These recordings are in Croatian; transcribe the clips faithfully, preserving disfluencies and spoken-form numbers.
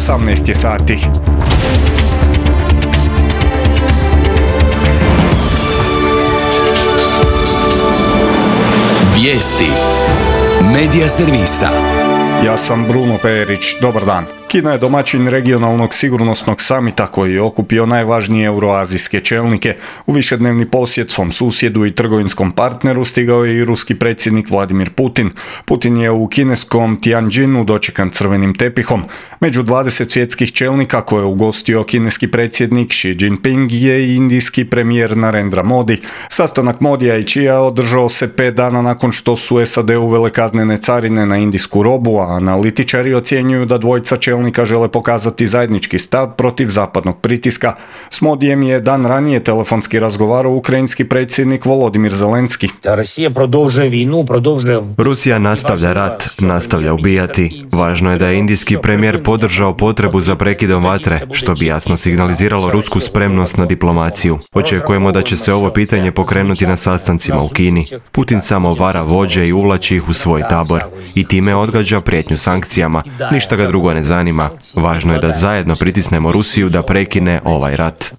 osamnaest je sati. Vijesti Medija servisa. Ja sam Bruno Perić, dobar dan. Kina je domaćin regionalnog sigurnosnog samita koji je okupio najvažnije euroazijske čelnike. U višednevni posjet svom susjedu i trgovinskom partneru stigao je i ruski predsjednik Vladimir Putin. Putin je u kineskom Tianjinu dočekan crvenim tepihom. Među dvadeset svjetskih čelnika koje je ugostio kineski predsjednik Xi Jinping je i indijski premijer Narendra Modi. Sastanak Modija i Xia održao se pet dana nakon što su S A D uvele kaznene carine na indijsku robu, a analitičari ocjenjuju da dvojica čelnika žele pokazati zajednički stav protiv zapadnog pritiska. S Modijem je dan ranije telefonski razgovarao ukrajinski predsjednik Volodimir Zelenski. Rusija nastavlja rat, nastavlja ubijati. Važno je da je indijski premijer podržao potrebu za prekidom vatre, što bi jasno signaliziralo rusku spremnost na diplomaciju. Očekujemo da će se ovo pitanje pokrenuti na sastancima u Kini. Putin samo vara vođe i uvlači ih u svoj tabor i time odgađa prijetnju sankcijama. Ništa ga drugo ne zanima. Važno je da zajedno pritisnemo Rusiju da prekine ovaj rat.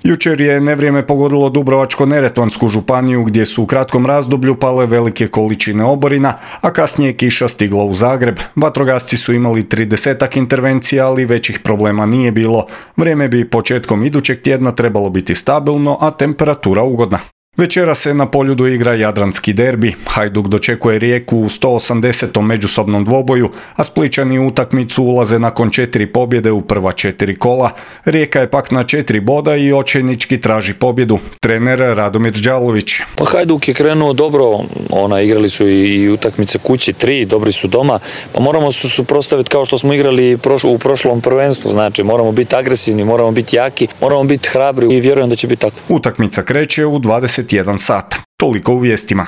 Jučer je nevrijeme pogodilo Dubrovačko-neretvansku županiju gdje su u kratkom razdoblju pale velike količine oborina, a kasnije kiša stigla u Zagreb. Vatrogasci su imali tridesetak intervencija, ali većih problema nije bilo. Vrijeme bi početkom idućeg tjedna trebalo biti stabilno, a temperatura ugodna. Večera se na Poljudu igra jadranski derbi. Hajduk dočekuje Rijeku u sto osamdesetom međusobnom dvoboju, a Splićani u utakmicu ulaze nakon četiri pobjede u prva četiri kola. Rijeka je pak na četiri boda i očajnički traži pobjedu. Trener Radomir Đalović. Pa Hajduk je krenuo dobro, ona igrali su i utakmice kući tri, dobri su doma, pa moramo se suprotstaviti kao što smo igrali u prošlom prvenstvu, znači moramo biti agresivni, moramo biti jaki, moramo biti hrabri i vjerujem da će biti tako. Utakmica kreće u dvadeset jedan sat. Toliko u vijestima.